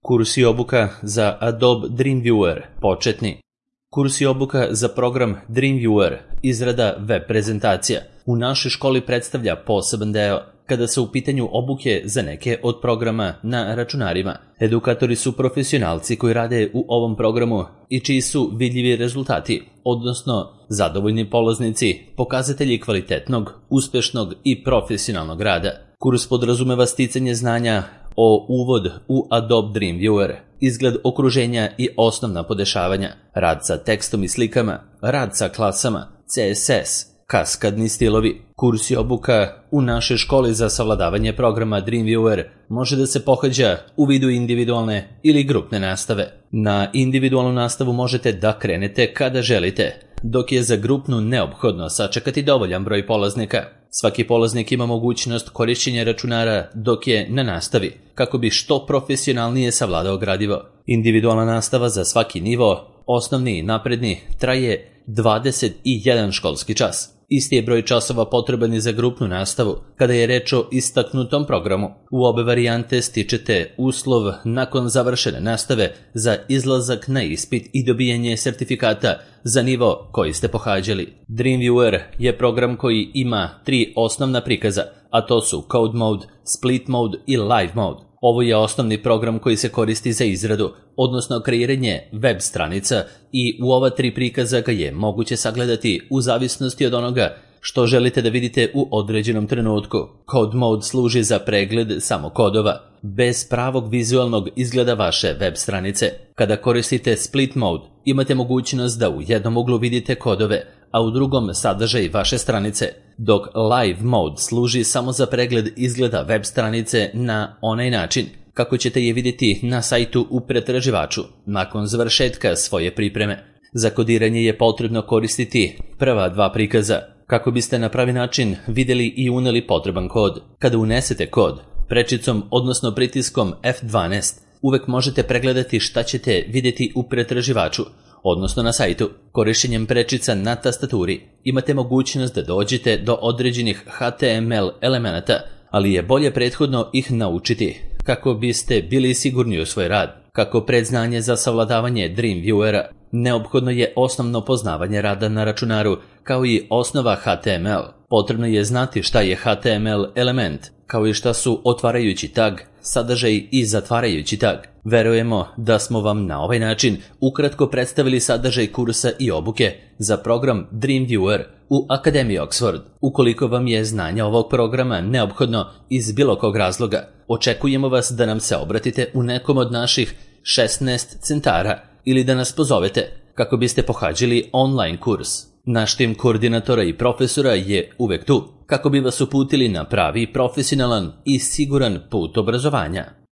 Kurs i obuka za Adobe Dreamviewer početni. Kurs i obuka za program Dreamviewer, izrada web prezentacija, u našoj školi predstavlja poseban deo kada su u pitanju obuke za neke od programa na računarima. Edukatori su profesionalci koji rade u ovom programu i čiji su vidljivi rezultati, odnosno zadovoljni polaznici, pokazatelji kvalitetnog, uspešnog i profesionalnog rada. Kurs podrazumeva sticanje znanja o uvod u Adobe Dreamviewer, izgled okruženja i osnovna podešavanja, rad sa tekstom i slikama, rad sa klasama, CSS, kaskadni stilovi. Kurs i obuka u našoj školi za savladavanje programa Dreamviewer može da se pohađa u vidu individualne ili grupne nastave. Na individualnu nastavu možete da krenete kada želite, dok je za grupnu neophodno sačekati dovoljan broj polaznika. Svaki polaznik ima mogućnost korišćenja računara dok je na nastavi, kako bi što profesionalnije savladao gradivo. Individualna nastava za svaki nivo, osnovni i napredni, traje 21 školski čas. Isti je broj časova potreban i za grupnu nastavu, kada je reč o istaknutom programu. U obe varijante stičete uslov nakon završene nastave za izlazak na ispit i dobijanje sertifikata za nivo koji ste pohađali. Dreamviewer je program koji ima 3 osnovna prikaza, a to su Code Mode, Split Mode i Live Mode. Ovo je osnovni program koji se koristi za izradu, odnosno kreiranje web stranica, i u ova 3 prikaza ga je moguće sagledati u zavisnosti od onoga što želite da vidite u određenom trenutku. Code Mode služi za pregled samo kodova, bez pravog vizualnog izgleda vaše web stranice. Kada koristite Split Mode, imate mogućnost da u jednom uglu vidite kodove, a u drugom sadržaj vaše stranice, dok Live Mode služi samo za pregled izgleda web stranice na onaj način kako ćete je vidjeti na sajtu u pretraživaču nakon završetka svoje pripreme. Za kodiranje je potrebno koristiti prva 2 prikaza, kako biste na pravi način vidjeli i uneli potreban kod. Kada unesete kod, prečicom odnosno pritiskom F12, uvek možete pregledati šta ćete vidjeti u pretraživaču, odnosno na sajtu. Korišćenjem prečica na tastaturi imate mogućnost da dođete do određenih HTML elemenata, ali je bolje prethodno ih naučiti kako biste bili sigurni u svoj rad. Kako predznanje za savladavanje Dreamviewera, neophodno je osnovno poznavanje rada na računaru, kao i osnova HTML. Potrebno je znati šta je HTML element, kao i šta su otvarajući tag, sadržaj i zatvarajući tag. Verujemo da smo vam na ovaj način ukratko predstavili sadržaj kursa i obuke za program Dreamviewer u Akademiji Oxford. Ukoliko vam je znanje ovog programa neophodno iz bilo kog razloga, očekujemo vas da nam se obratite u nekom od naših 16 centara ili da nas pozovete kako biste pohađali online kurs. Naš tim koordinatora i profesora je uvek tu kako bi vas uputili na pravi, profesionalan i siguran put obrazovanja.